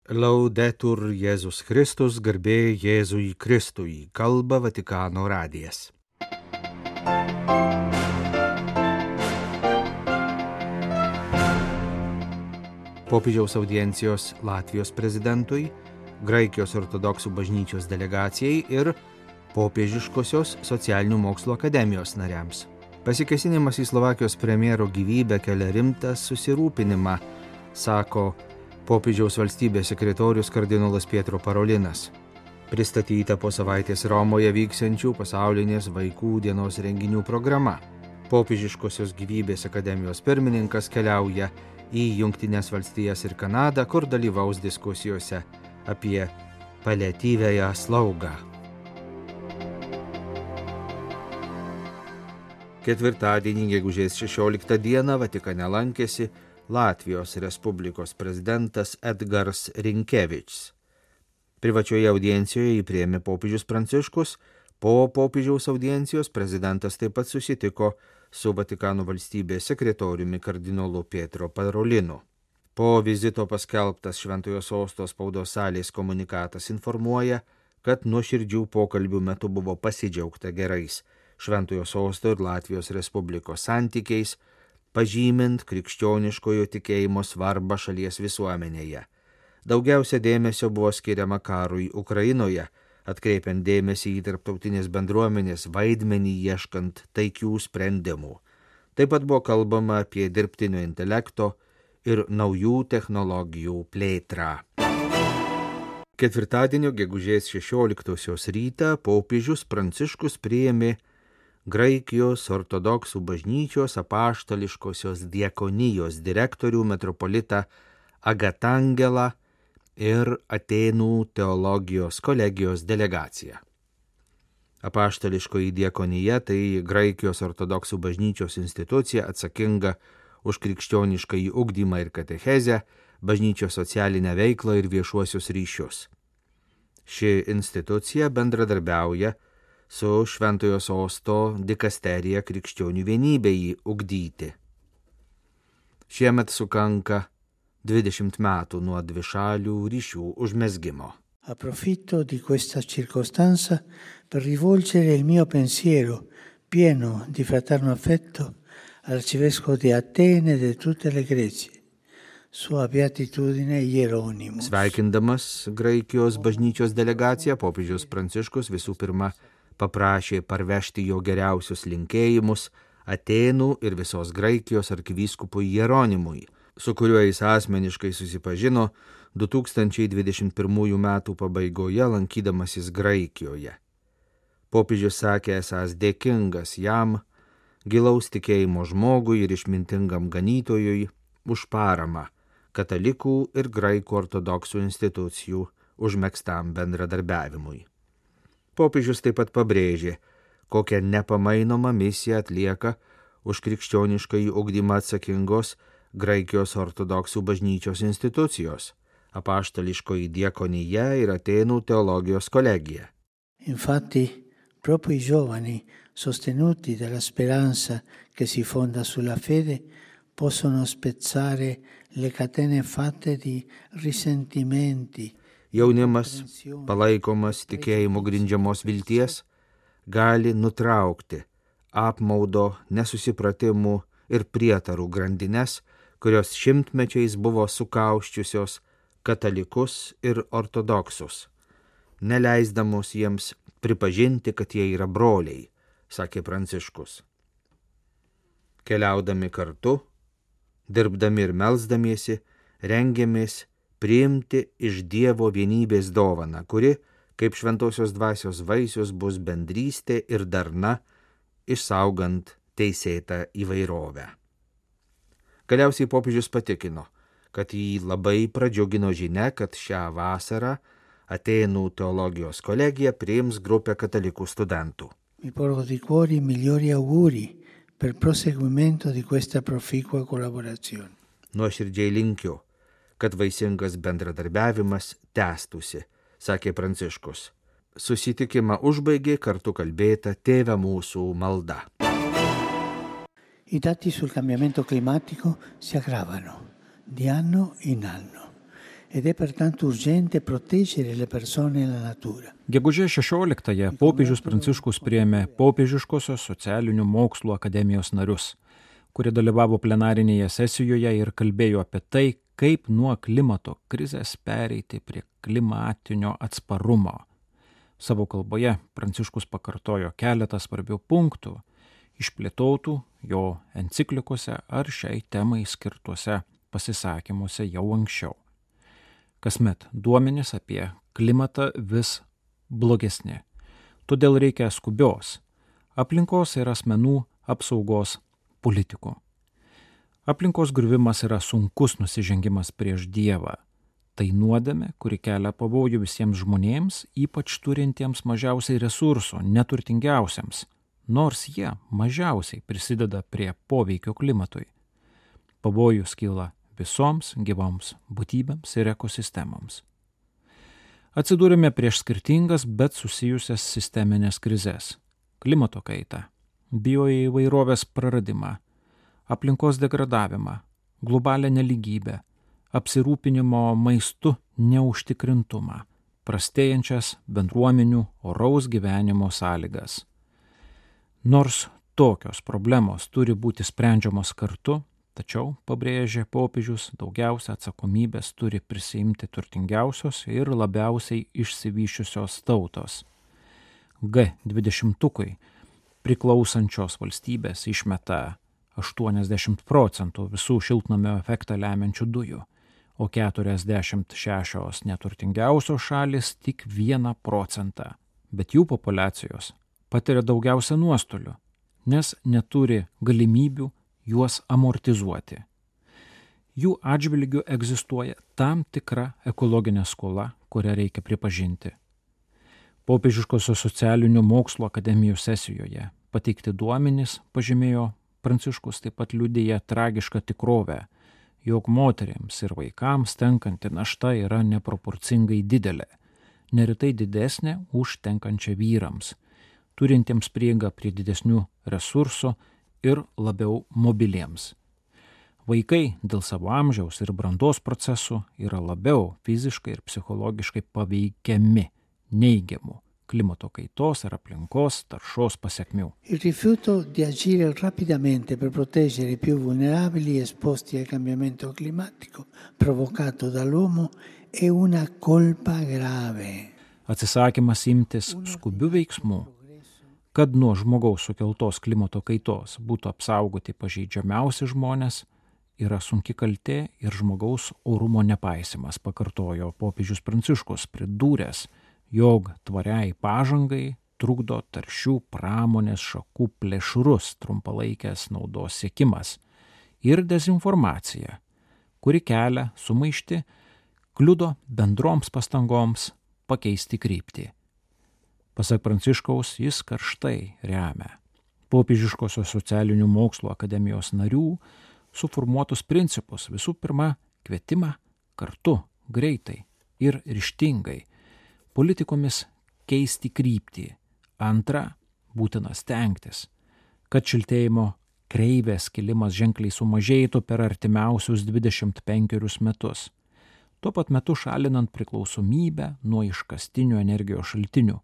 Laudetur Jėzus Kristus, garbė Jėzui Kristui, kalba Vatikano radijas. Popiežiaus audiencijos Latvijos prezidentui, Graikijos ortodoksų bažnyčios delegacijai ir Popiežiškosios socialinių mokslų akademijos nariams. Pasikėsinimas į Slovakijos premjero gyvybę kelia rimtą susirūpinimą, sako popiežiaus valstybės sekretorius kardinolas Pietro Parolinas. Pristatyta po savaitės Romoje vyksiančių pasaulinės vaikų dienos renginių programa. Popiežiškosios gyvybės akademijos pirmininkas keliauja į Jungtines valstijas ir Kanadą, kur dalyvaus diskusijose apie paliatyviąją slaugą. Ketvirtadienį, gegužės 16 dieną, Vatikane lankėsi Latvijos Respublikos prezidentas Edgars Rinkevičs. Privačioje audiencijoje jį priėmė popiežius Pranciškus. Po popiežiaus audiencijos prezidentas taip pat susitiko su Vatikano valstybės sekretoriumi kardinolu Pietro Parolinu. Po vizito paskelbtas Šventojo Sosto spaudos salės komunikatas informuoja, kad nuoširdžių pokalbių metu buvo pasidžiaugta gerais Šventojo Sosto ir Latvijos Respublikos santykiais, pažymint krikščioniškojo tikėjimo svarbą šalies visuomenėje. Daugiausia dėmesio buvo skiriama karui Ukrainoje, atkreipiant dėmesį į tarptautinės bendruomenės vaidmenį ieškant taikių sprendimų. Taip pat buvo kalbama apie dirbtinio intelekto ir naujų technologijų plėtrą. Ketvirtadienio gegužės 16 rytą popiežius Pranciškus priėmė Graikijos ortodoksų bažnyčios apaštališkosios diakonijos direktorių metropolitą Agatangelą ir Atėnų teologijos kolegijos delegaciją. Apaštališkoji diakonija tai Graikijos ortodoksų bažnyčios institucija atsakinga už krikščioniškąjį ugdymą ir katechezę, bažnyčios socialinę veiklą ir viešuosius ryšius. Ši institucija bendradarbiauja su Šventojo Sosto dikasterija krikščionių vienybei ugdyti. Šiemet sukanka 20 metų nuo dvišalių ryšių užmezgimo. Approfitto di questa circostanza per rivolgere il mio pensiero pieno di fraterno affetto all'arcivescovo di Atene e di tutte le Grecie, Sua Beatitudine Hieronymus. Sveikindamas Graikijos bažnyčios delegaciją, popiežius Pranciškus visų pirma paprašė parvežti jo geriausius linkėjimus Atėnų ir visos Graikijos arkivyskupui Hieronymui, su kuriuo jis asmeniškai susipažino 2021 metų pabaigoje lankydamasis Graikijoje. Popiežius sakė esąs dėkingas jam, gilaus tikėjimo žmogui ir išmintingam ganytojui už paramą katalikų ir graikų ortodoksų institucijų užmegztam bendradarbiavimui. Popiežius taip pat pabrėžė, kokią nepamainomą misiją atlieka už krikščioniškąjį ugdymą atsakingos Graikijos ortodoksų bažnyčios institucijos, apaštališkoji diakonija ir Atėnų teologijos kolegija. Infatti, proprio i giovani, sostenuti dalla speranza che si fonda sulla fede, possono spezzare le catene fatte di risentimenti. Jaunimas, palaikomas tikėjimo grindžiamos vilties, gali nutraukti apmaudo, nesusipratimų ir prietarų grandines, kurios šimtmečiais buvo sukauščiusios katalikus ir ortodoksus, neleisdamos jiems pripažinti, kad jie yra broliai, sakė Pranciškus. Keliaudami kartu, dirbdami ir melsdamiesi, rengiamės priimti iš Dievo vienybės dovaną, kuri, kaip šventosios dvasios vaisius, bus bendrystė ir darna, išsaugant teisėtą įvairovę. Galiausiai popiežius patikino, kad jį labai pradžiugino žinia, kad šią vasarą Atėnų teologijos kolegija priims grupę katalikų studentų. Mi porgo di cuore i migliori auguri per proseguimento di questa proficua collaborazione. Nuoširdžiai linkiu, kad vaisingas bendradarbiavimas tęstųsi, sakė Pranciškus. Susitikimą užbaigė kartu kalbėta Tėve mūsų malda. I dati sul cambiamento climatico si aggravano di anno in anno ed è pertanto urgente proteggere le persone e la natura. Gegužės 16-ąją popiežius Pranciškus priėmė Popiežiškosios socialinių mokslų akademijos narius, kurie dalyvavo plenarinėje sesijoje ir kalbėjo apie tai, kaip nuo klimato krizės pereiti prie klimatinio atsparumo. Savo kalboje Pranciškus pakartojo keletą svarbių punktų, išplėtotų jo enciklikose ar šiai temai skirtuose pasisakymuose jau anksčiau. Kasmet duomenys apie klimatą vis blogesni. Todėl reikia skubios aplinkos ir asmenų apsaugos politikų. Aplinkos griuvimas yra sunkus nusižengimas prieš Dievą. Tai nuodėmė, kuri kelia pavojų visiems žmonėms, ypač turintiems mažiausiai resursų, neturtingiausiems, nors jie mažiausiai prisideda prie poveikio klimatui. Pavojus kyla visoms gyvoms būtybėms ir ekosistemoms. Atsidūrėme prieš skirtingas, bet susijusias sisteminės krizes – klimato kaitą, bioįvairovės praradimą, aplinkos degradavimą, globalią nelygybę, apsirūpinimo maistu neužtikrintumą, prastėjančias bendruomenių oraus gyvenimo sąlygas. Nors tokios problemos turi būti sprendžiamos kartu, tačiau, pabrėžė popiežius, daugiausia atsakomybės turi prisiimti turtingiausios ir labiausiai išsivysčiusios tautos. G20 priklausančios valstybės išmeta 80% visų šiltnamio efektą lemiančių dujų, o 46 neturtingiausios šalis tik 1%, bet jų populiacijos patiria daugiausia nuostolių, nes neturi galimybių juos amortizuoti. Jų atžvilgiu egzistuoja tam tikra ekologinė skola, kurią reikia pripažinti. Popiežiškosios socialinių mokslų akademijos sesijoje pateikti duomenys, pažymėjo Pranciškus, taip pat liudija tragišką tikrovę, jog moterims ir vaikams tenkanti našta yra neproporcingai didelė, neretai didesnė už tenkančią vyrams, turintiems prieigą prie didesnių resursų ir labiau mobiliems. Vaikai dėl savo amžiaus ir brandos procesų yra labiau fiziškai ir psichologiškai paveikiami neigiamų klimato kaitos ir aplinkos taršos pasekmių. Il rifiuto di agire rapidamente per proteggere i più vulnerabili esposti al cambiamento climatico provocato dall'uomo è una colpa grave. Atsisakymas imtis skubių veiksmų, kad nuo žmogaus sukeltos klimato kaitos būtų apsaugoti pažeidžiamiausi žmonės, yra sunki kaltė ir žmogaus orumo nepaisimas, pakartojo popiežius Pranciškus, pridūręs, jog tvariai pažangai trukdo taršių pramonės šakų plėšrus trumpalaikės naudos siekimas ir dezinformacija, kuri kelia sumaištį, kliudo bendroms pastangoms pakeisti kryptį. Pasak Pranciškaus, jis karštai remia Popiežiškosios socialinių mokslų akademijos narių suformuotus principus, visų pirma, kvietimą kartu, greitai ir ryžtingai politikomis keisti kryptį. Antra, būtina stengtis, kad šiltėjimo kreivės kilimas ženkliai sumažėtų per artimiausius 25 metus. Tuo pat metu šalinant priklausomybę nuo iškastinių energijos šaltinių.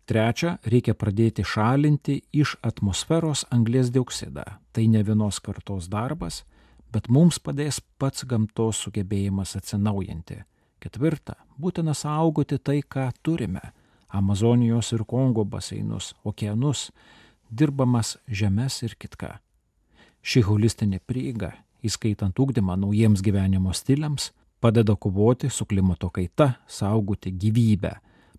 Trečia, reikia pradėti šalinti iš atmosferos anglies dioksidą. Tai ne vienos kartos darbas, bet mums padės pats gamtos sugebėjimas atsinaujinti. Ketvirta, būtina saugoti tai, ką turime – Amazonijos ir Kongo baseinus, okeanus, dirbamas žemes ir kitką. Ši holistinė prieiga, įskaitant ugdymą naujiems gyvenimo stiliams, padeda kovoti su klimato kaita, saugoti gyvybę,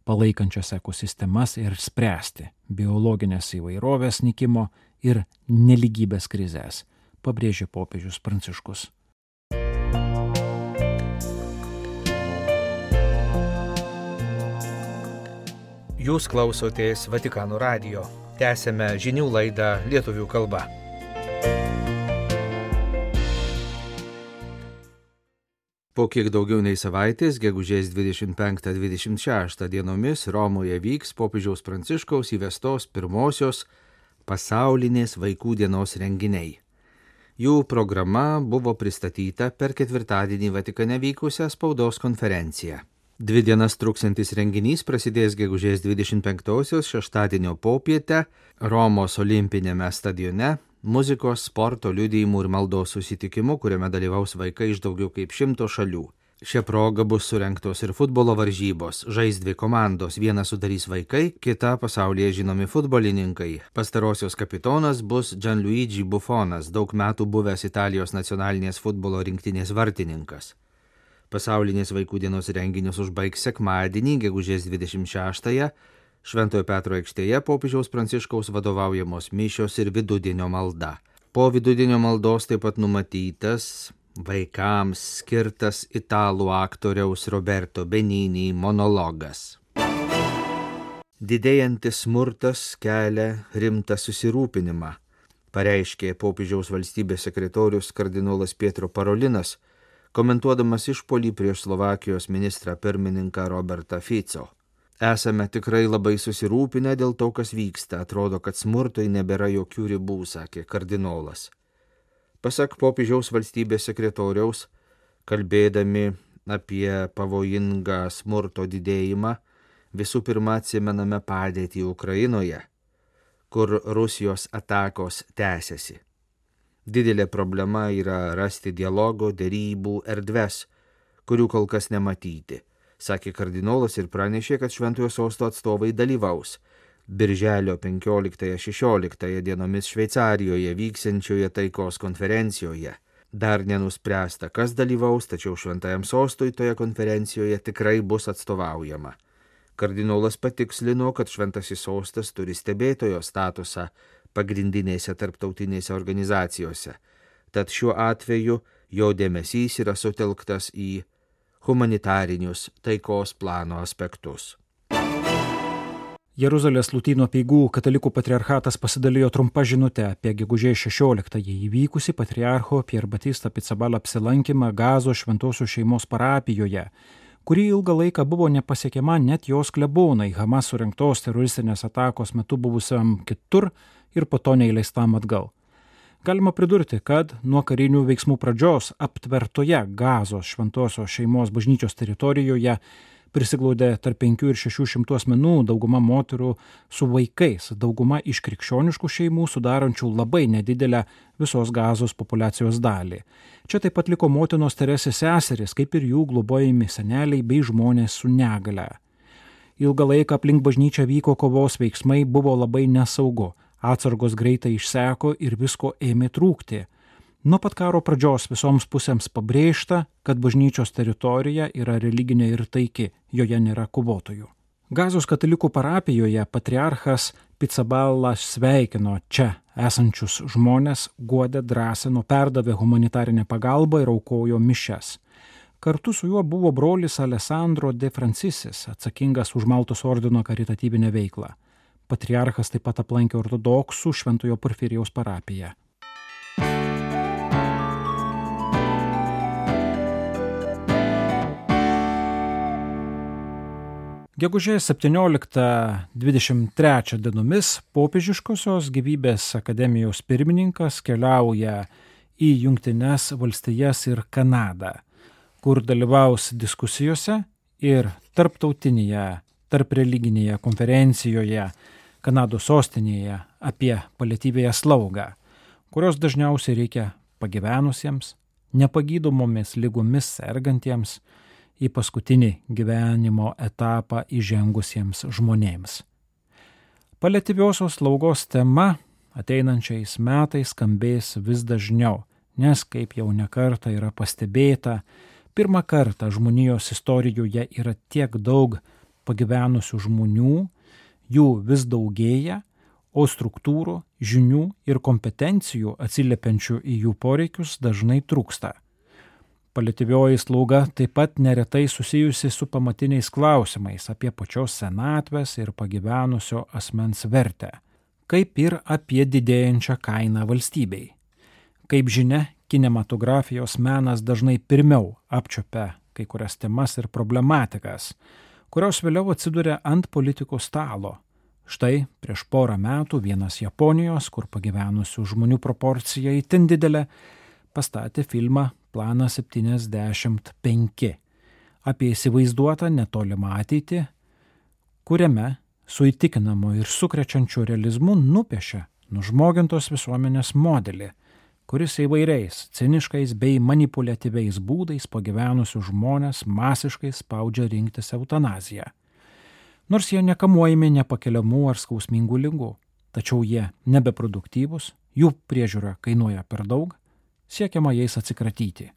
palaikančias ekosistemas ir spręsti biologinės įvairovės nykimo ir nelygybės krizės, pabrėžė popiežius Pranciškus. Jūs klausotės Vatikano radijo. Tęsėme žinių laidą lietuvių kalba. Po kiek daugiau nei savaitės, gegužės 25-26 dienomis Romoje vyks popiežiaus Pranciškaus įvestos pirmosios pasaulinės vaikų dienos renginiai. Jų programa buvo pristatyta per ketvirtadienį Vatikane vykusią spaudos konferenciją. 2 dienas truksantis renginys prasidės gegužės 25-osios šeštadienio popietę Romos olimpinėme stadione muzikos, sporto, liudijimų ir maldos susitikimu, kuriame dalyvaus vaikai iš daugiau kaip 100 šalių. Šia proga bus surengtos ir futbolo varžybos. Žais 2 komandos, vieną sudarys vaikai, kita pasaulyje žinomi futbolininkai. Pastarosios kapitonas bus Gianluigi Buffonas, daug metų buvęs Italijos nacionalinės futbolo rinktinės vartininkas. Pasaulinės vaikų dienos renginius užbaigs sekmadienį, gegužės 26-ąją, Šventojo Petro aikštėje popiežiaus Pranciškaus vadovaujamos mišios ir vidudienio malda. Po vidudienio maldos taip pat numatytas vaikams skirtas italų aktoriaus Roberto Benini monologas. Didėjantis smurtas kelia rimtą susirūpinimą, pareiškė popiežiaus valstybės sekretorius kardinolas Pietro Parolinas, komentuodamas išpuolį prieš Slovakijos ministrą pirmininką Robertą Fico. Esame tikrai labai susirūpinę dėl to, kas vyksta, atrodo, kad smurtui nebėra jokių ribų, sakė kardinolas. Pasak popiežiaus valstybės sekretoriaus, kalbėdami apie pavojingą smurto didėjimą, visų pirma atsimename padėtį Ukrainoje, kur Rusijos atakos tęsiasi. Didelė problema yra rasti dialogo, derybų erdves, kurių kol kas nematyti, sakė kardinolas ir pranešė, kad Šventojo Sosto atstovai dalyvaus Birželio 15-16 dienomis Šveicarijoje vyksiančioje taikos konferencijoje. Dar nenuspręsta, kas dalyvaus, tačiau Šventajam Sostui toje konferencijoje tikrai bus atstovaujama. Kardinolas patikslino, kad Šventasis Sostas turi stebėtojo statusą pagrindinėse tarptautinėse organizacijose, tad šiuo atveju jo dėmesys yra sutelktas į humanitarinius taikos plano aspektus. Jeruzalės Lotynų apeigų katalikų patriarchatas pasidalijo trumpa žinute apie gegužės 16-ąjį įvykusį patriarcho Pier Batista Pizzaballa apsilankymą Gazos Šventosios šeimos parapijoje, kuri ilgą laiką buvo nepasiekiama net jos klebonai Hamas surengtos teroristinės atakos metu buvusiam kitur ir po to neįleistam atgal. Galima pridurti, kad nuo karinių veiksmų pradžios aptvertoje Gazos Šventosios šeimos bažnyčios teritorijoje prisiglaudė tarp 500 ir 600 asmenų, dauguma moterų su vaikais, dauguma iš krikščioniškų šeimų sudarančių labai nedidelę visos Gazos populiacijos dalį. Čia taip pat liko motinos Teresės seserys, kaip ir jų globojami seneliai bei žmonės su negale. Ilgą laiką aplink bažnyčią vyko kovos veiksmai, buvo labai nesaugu. Atsargos greitai išseko ir visko ėmė trūkti. Nuo pat karo pradžios visoms pusėms pabrėžta, kad bažnyčios teritorija yra religinė ir taiki, joje nėra kovotojų. Gazos katalikų parapijoje patriarchas Pizzaballa sveikino čia esančius žmonės, guodė, drąsino, perdavė humanitarinę pagalbą ir aukojo mišias. Kartu su juo buvo brolis Alessandro de Francisis, atsakingas už Maltos ordino karitatyvinę veiklą. Patriarchas taip pat aplankė ortodoksų Šventojo Porfirijaus parapiją. Gegužės 17-23 dienomis Popiežiškosios gyvybės akademijos pirmininkas keliauja į Jungtines valstijas ir Kanadą, kur dalyvaus diskusijose ir tarptautinėje, tarpreliginėje konferencijoje Kanados sostinėje apie paliatyviąją slaugą, kurios dažniausiai reikia pagyvenusiems, nepagydomomis ligomis sergantiems, į paskutinį gyvenimo etapą įžengusiems žmonėms. Paliatyviosios slaugos tema ateinančiais metais skambės vis dažniau, nes, kaip jau nekartą yra pastebėta, pirmą kartą žmonijos istorijoje yra tiek daug pagyvenusių žmonių, jų vis daugėja, o struktūrų, žinių ir kompetencijų atsiliepiančių į jų poreikius dažnai trūksta. Paliatyvioji slauga taip pat neretai susijusi su pamatiniais klausimais apie pačios senatvės ir pagyvenusio asmens vertę, kaip ir apie didėjančią kainą valstybei. Kaip žinia, kinematografijos menas dažnai pirmiau apčiopia kai kurias temas ir problematikas, kurios vėliau atsiduria ant politikos stalo. Štai prieš porą metų vienas Japonijos, kur pagyvenusių žmonių proporcija itin didelė, pastatė filmą Planas 75 apie įsivaizduotą netolimą ateitį, kuriame su įtikinamu ir sukrečiančiu realizmu nupiešia nužmogintos visuomenės modelį, kuris įvairiais ciniškais bei manipuliatyviais būdais pagyvenusių žmonės masiškai spaudžia rinktis eutanaziją. Nors jie nekamuojami nepakeliamų ar skausmingų ligų, tačiau jie nebeproduktyvūs, jų priežiūra kainuoja per daug, siekiama jais atsikratyti.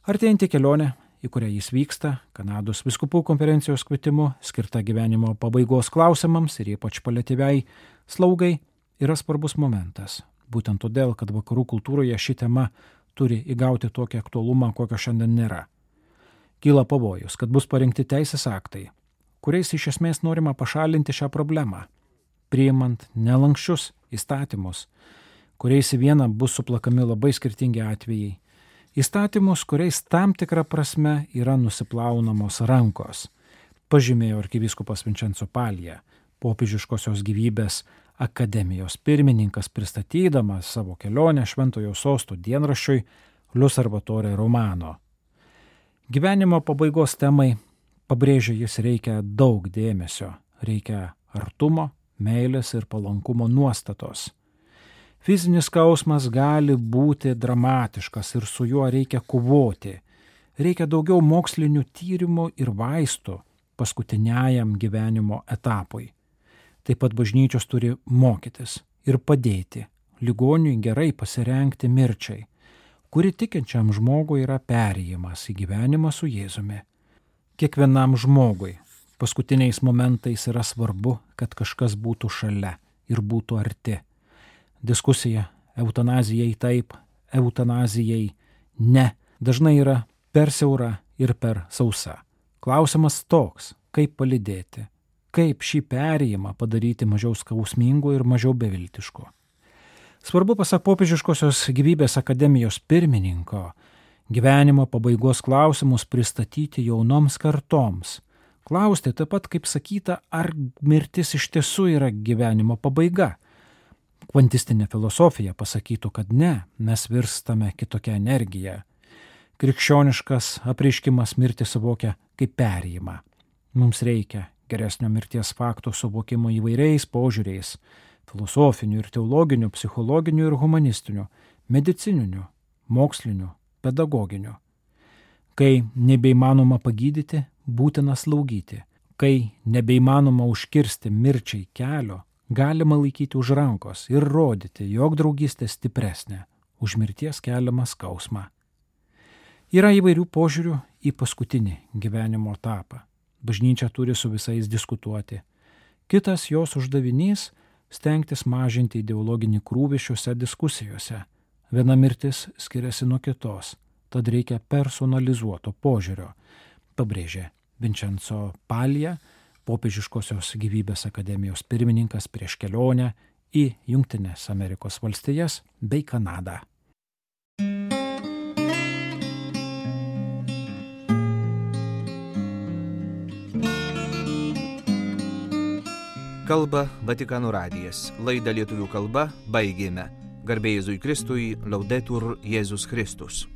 Artėjantį kelionę, į kurią jis vyksta, Kanados vyskupų konferencijos kvietimu, skirta gyvenimo pabaigos klausimams ir ypač paliatyviai slaugai, yra svarbus momentas. Būtent todėl, kad vakarų kultūroje ši tema turi įgauti tokį aktualumą, kokio šiandien nėra. Kyla pavojus, kad bus parengti teisės aktai, kuriais iš esmės norima pašalinti šią problemą, priimant nelankščius įstatymus, kuriais į vieną bus suplakami labai skirtingi atvejai. Įstatymus, kuriais tam tikra prasme yra nusiplaunamos rankos, pažymėjo arkivyskupas Vincenzo Palija, popiežiškosios gyvybės akademijos pirmininkas, pristatydamas savo kelionę Šventojo Sosto dienraščiui L'Osservatore Romano. Gyvenimo pabaigos temai, pabrėžia jis, reikia daug dėmesio, reikia artumo, meilės ir palankumo nuostatos. Fizinis skausmas gali būti dramatiškas ir su juo reikia kovoti. Reikia daugiau mokslinių tyrimų ir vaistų paskutiniajam gyvenimo etapui. Taip pat bažnyčios turi mokytis ir padėti ligoniui gerai pasirengti mirčiai, kuri tikinčiam žmogui yra perėjimas į gyvenimą su Jėzumi. Kiekvienam žmogui paskutiniais momentais yra svarbu, kad kažkas būtų šalia ir būtų arti. Diskusija eutanazijai taip, eutanazijai ne, dažnai yra per siaura ir per sausa. Klausimas toks, kaip palydėti, kaip šį perėjimą padaryti mažiau skausmingu ir mažiau beviltišku. Svarbu, pasak popiežiškosios gyvybės akademijos pirmininko, gyvenimo pabaigos klausimus pristatyti jaunoms kartoms. Klausti taip pat, kaip sakyta, ar mirtis iš tiesų yra gyvenimo pabaiga. Kvantistinė filosofija pasakytų, kad ne, mes virstame kitokią energiją. Krikščioniškas apreiškimas mirtį suvokia kaip perėjimą. Mums reikia geresnio mirties fakto suvokimo įvairiais požiūriais – filosofinių ir teologinių, psichologinių ir humanistinių, medicininių, mokslinių, pedagoginių. Kai nebeįmanoma pagydyti, būtina slaugyti. Kai nebeįmanoma užkirsti mirčiai kelio, galima laikyti už rankos ir rodyti, jog draugystė stipresnė už mirties keliamą skausmą. Yra įvairių požiūrių į paskutinį gyvenimo etapą. Bažnyčia turi su visais diskutuoti. Kitas jos uždavinys – stengtis mažinti ideologinį krūvį šiuose diskusijose. Viena mirtis skiriasi nuo kitos, tad reikia personalizuoto požiūrio, pabrėžė Vincenzo Palija, popiežiškosios gyvybės akademijos pirmininkas prieš kelionę į Jungtines Amerikos valstijas bei Kanadą. Kalba Vatikano radijas. Laidą lietuvių kalba baigėme. Garbė Jėzui Kristui, Laudetur Jėzus Kristus.